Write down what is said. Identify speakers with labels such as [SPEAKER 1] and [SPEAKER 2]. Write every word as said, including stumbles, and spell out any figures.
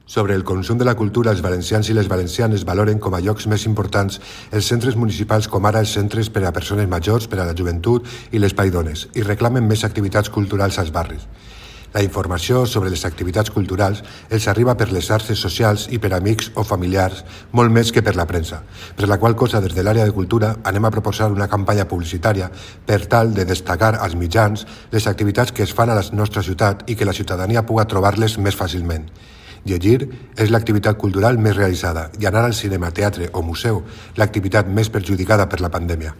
[SPEAKER 1] Sobre el consum de la cultura, els valencians i les valencianes valoren com a llocs més importants els centres municipals com ara els centres per a persones majors, per a la joventut i l'espai dones, i reclamen més activitats culturals als barris. La informació sobre les activitats culturals els arriba per les xarxes socials i per amics o familiars, molt més que per la premsa, per la qual cosa des de l'àrea de cultura anem a proposar una campanya publicitària per tal de destacar als mitjans les activitats que es fan a la nostra ciutat i que la ciutadania puga trobar-les més fàcilment. Llegir és l'activitat cultural més realitzada i anar al cinema, teatre o museu l'activitat més perjudicada per la pandèmia.